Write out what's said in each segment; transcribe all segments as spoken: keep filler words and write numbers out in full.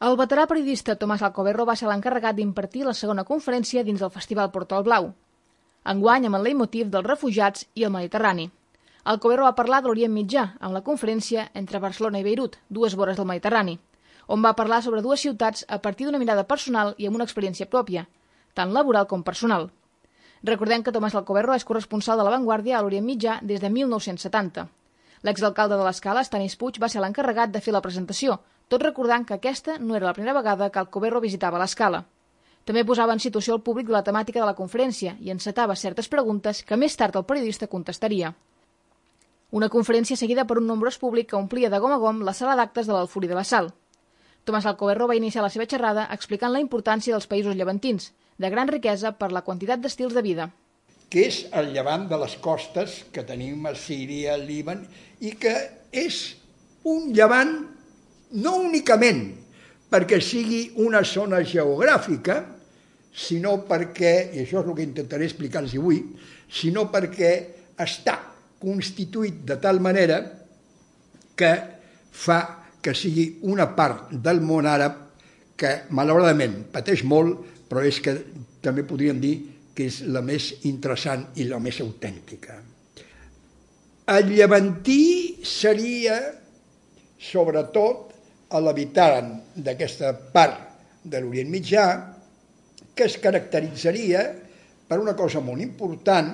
El veterà periodista Tomàs Alcoberro va ser l'encarregat d'impartir la segona conferència dins del Festival Portal Blau, enguany amb el leitmotiv dels refugiats i el Mediterrani. Alcoberro va parlar de l'Orient Mitjà amb la conferència Entre Barcelona i Beirut, dues vores del Mediterrani, on va parlar sobre dues ciutats a partir d'una mirada personal i amb una experiència pròpia, tant laboral com personal. Recordem que Tomàs Alcoberro és corresponsal de La Vanguardia a l'Orient Mitjà des de mil nou-cents setanta. L'exalcalde de l'Escala, Stanis Puig, va ser l'encarregat de fer la presentació, tot recordant que aquesta no era la primera vegada que Alcoberro visitava l'Escala. També posava en situació el públic de la temàtica de la conferència i encetava certes preguntes que més tard el periodista contestaria. Una conferència seguida per un nombrós públic que omplia de gom a gom la sala d'actes de l'Alfuri de la Sal. Tomàs Alcoberro va iniciar la seva xerrada explicant la importància dels països llevantins, de gran riquesa per la quantitat d'estils de vida. Que és el llevant de les costes que tenim a Síria, al Líban, i que és un llevant no únicament perquè sigui una zona geogràfica, sinó perquè, i això és el que intentaré explicar-los avui, sinó perquè està constituït de tal manera que fa que sigui una part del món àrab que malauradament pateix molt, però és que també podríem dir que és la més interessant i la més autèntica. El llevantí seria, sobretot, l'habitant d'aquesta part de l'Orient Mitjà, que es caracteritzaria per una cosa molt important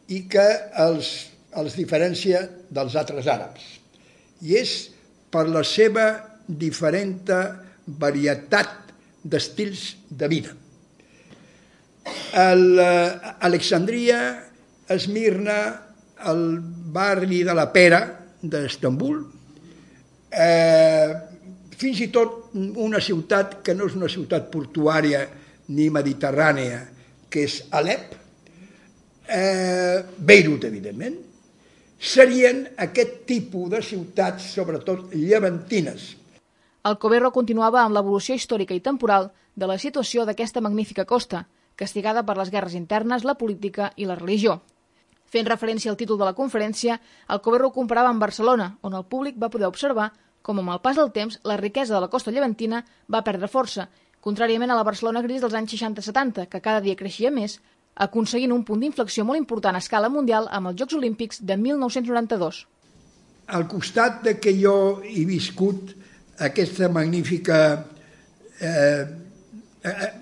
i que els, els diferencia dels altres àrabs. I és per la seva diferent varietat d'estils de vida. Alexandria, Esmirna, el barri de la Pera d'Istanbul, eh, fins i tot una ciutat que no és una ciutat portuària ni mediterrània, que és Alep, eh, Beirut, evidentment, serien aquest tipus de ciutats, sobretot llevantines. Alcoberro continuava amb l'evolució històrica i temporal de la situació d'aquesta magnífica costa, castigada per les guerres internes, la política i la religió. Fent referència al títol de la conferència, Alcoberro ho comparava amb Barcelona, on el públic va poder observar com amb el pas del temps la riquesa de la costa llevantina va perdre força, contràriament a la Barcelona gris dels anys seixanta setanta, que cada dia creixia més, aconseguint un punt d'inflexió molt important a escala mundial amb els Jocs Olímpics de mil nou-cents noranta-dos. Al costat de que jo he viscut aquesta magnífica... Eh,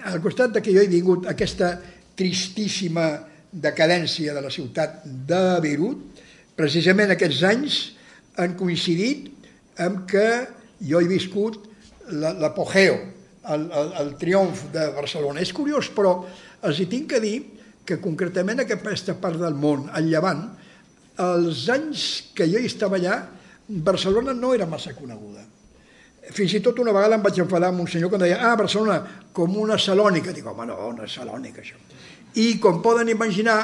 al costat de que jo he vingut aquesta tristíssima decadència de la ciutat de Beirut, precisament aquests anys han coincidit amb que jo he viscut l'apogeu, el, el, el triomf de Barcelona. És curiós, però els hi tinc que dir que concretament aquesta part del món, el Llevant, els anys que jo hi estava allà, Barcelona no era massa coneguda. Fins i tot una vegada em vaig enfadar amb un senyor que em deia ah, Barcelona, com una Salònica. Dic, home, no, no és Salònica, això. I, com poden imaginar,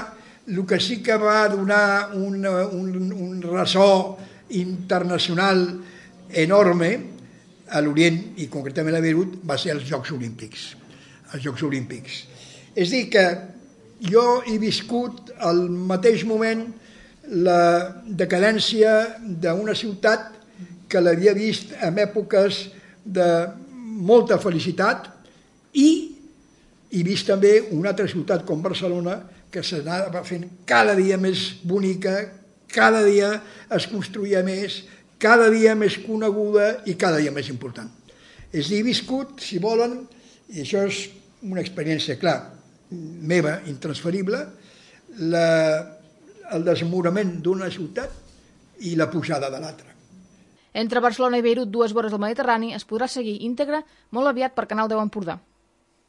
el que sí que va donar un, un, un ressò internacional enorme a l'Orient, i concretament a Beirut, va ser els Jocs Olímpics. Els Jocs Olímpics. És a dir, que jo he viscut al mateix moment la decadència d'una ciutat que l'havia vist en èpoques de molta felicitat i he vist també una altra ciutat com Barcelona que s'anava fent cada dia més bonica, cada dia es construïa més, cada dia més coneguda i cada dia més important. És a dir, he viscut, si volen, i això és una experiència, clar, meva, intransferible, la, el desmorament d'una ciutat i la pujada de l'altra. Entre Barcelona i Beirut, dues vores del Mediterrani, es podrà seguir íntegre molt aviat per Canal deu Empordà.